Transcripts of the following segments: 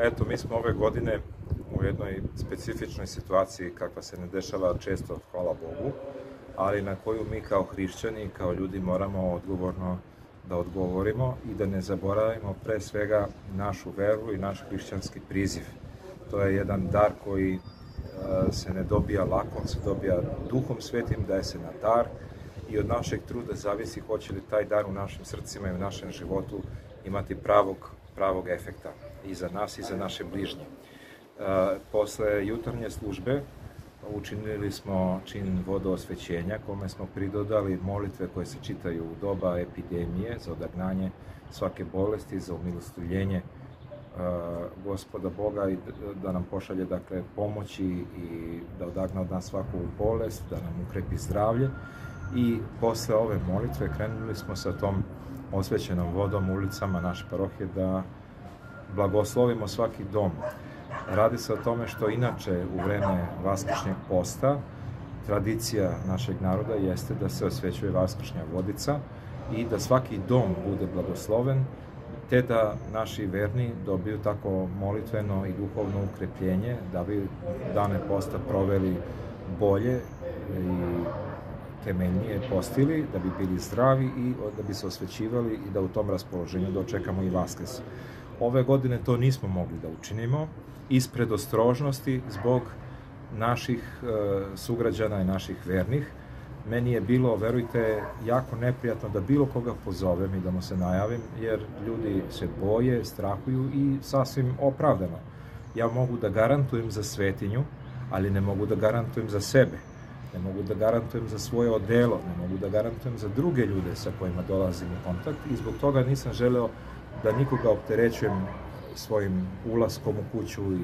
Eto, mi smo ove godine u jednoj specifičnoj situaciji kakva se ne dešava često, hvala Bogu, ali na koju mi kao hrišćani, kao ljudi moramo odgovorno da odgovorimo i da ne zaboravimo pre svega našu veru i naš hrišćanski priziv. To je jedan dar koji se ne dobija lako, on se dobija Duhom Svetim, daje se na dar i od našeg truda zavisi hoće li taj dar u našim srcima i u našem životu imati pravog efekta i za nas i za naše bližnje. Posle jutarnje službe učinili smo čin vodoosvećenja kome smo pridodali molitve koje se čitaju u doba epidemije za odagnanje svake bolesti, za umilostivljenje Gospoda Boga i da nam pošalje pomoći i da odagna od nas svaku bolest, da nam ukrepi zdravlje. I posle ove molitve krenuli smo sa tom osvećenom vodom ulicama naše parohije da blagoslovimo svaki dom. Radi se o tome što inače u vreme vaskršnjeg posta tradicija našeg naroda jeste da se osvećuje vaskršnja vodica i da svaki dom bude blagosloven, te da naši verni dobiju tako molitveno i duhovno ukrepljenje da bi dane posta proveli bolje i temeljnije postili, da bi bili zdravi i da bi se osvećivali i da u tom raspoloženju dočekamo i Vaskrs. Ove godine to nismo mogli da učinimo ispred ostrožnosti zbog naših sugrađana i naših vernih. Meni je bilo, verujte, jako neprijatno da bilo koga pozovem i da mu se najavim, jer ljudi se boje, strahuju i sasvim opravdano. Ja mogu da garantujem za svetinju, ali ne mogu da garantujem za sebe. Ne mogu da garantujem za svoje odelo, ne mogu da garantujem za druge ljude sa kojima dolazim u kontakt i zbog toga nisam želeo da nikoga opterećujem svojim ulaskom u kuću i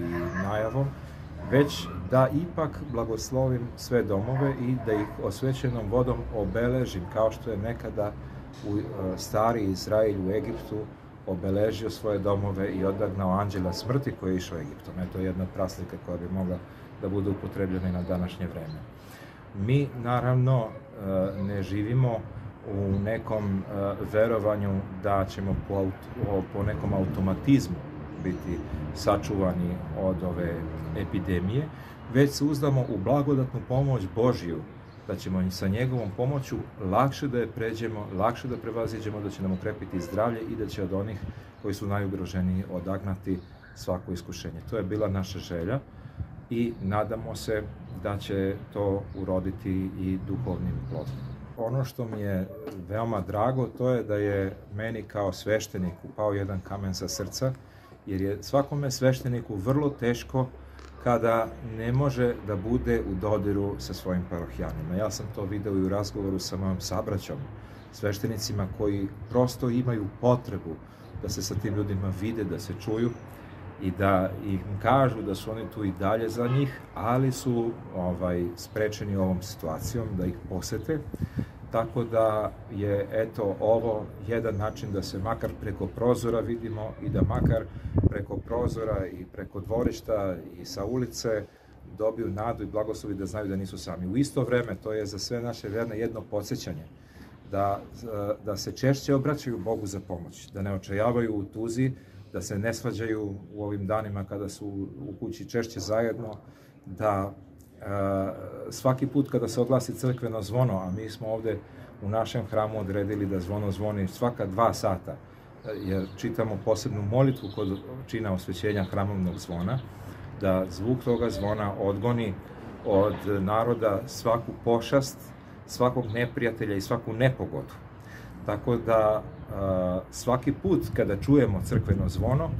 najavom, već da ipak blagoslovim sve domove i da ih osvećenom vodom obeležim, kao što je nekada stari Izrael u Egiptu obeležio svoje domove i odagnao anđela smrti koji je išao Egiptom. Eto je jedna praslika koja bi mogla da bude upotrebljena i na današnje vreme. Mi, naravno, ne živimo u nekom verovanju da ćemo po nekom automatizmu biti sačuvani od ove epidemije, već se uzdamo u blagodatnu pomoć Božiju, da ćemo sa njegovom pomoću lakše da je pređemo, lakše da prevaziđemo, da će nam ukrepiti zdravlje i da će od onih koji su najugroženiji odagnati svako iskušenje. To je bila naša želja i nadamo se da će to uroditi i duhovnim plodom. Ono što mi je veoma drago, to je da je meni kao svešteniku pao jedan kamen sa srca, jer je svakome svešteniku vrlo teško kada ne može da bude u dodiru sa svojim parohijanima. Ja sam to video i u razgovoru sa mojom sabraćom, sveštenicima koji prosto imaju potrebu da se sa tim ljudima vide, da se čuju i da im kažu da su oni tu i dalje za njih, ali su sprečeni ovom situacijom da ih posete. Tako da je, eto, ovo jedan način da se makar preko prozora vidimo i da makar preko prozora i preko dvorišta i sa ulice dobiju nadu i blagoslovi da znaju da nisu sami. U isto vreme, to je za sve naše verne jedno podsjećanje da se češće obraćaju Bogu za pomoć, da ne očajavaju u tuzi, da se ne svađaju u ovim danima kada su u kući češće zajedno, da svaki put kada se oglasi crkveno zvono, a mi smo ovde u našem hramu odredili da zvono zvoni svaka 2 sata, jer čitamo posebnu molitvu kod čina osvećenja hramovnog zvona, da zvuk toga zvona odgoni od naroda svaku pošast, svakog neprijatelja i svaku nepogodu. Tako da svaki put kada čujemo crkveno zvono,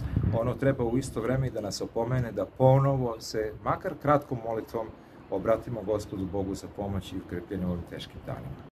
ono treba u isto vreme i da nas opomene da ponovo se, makar kratkom molitvom, obratimo Gospodu Bogu za pomoć i ukrepljenje u ovim teškim danima.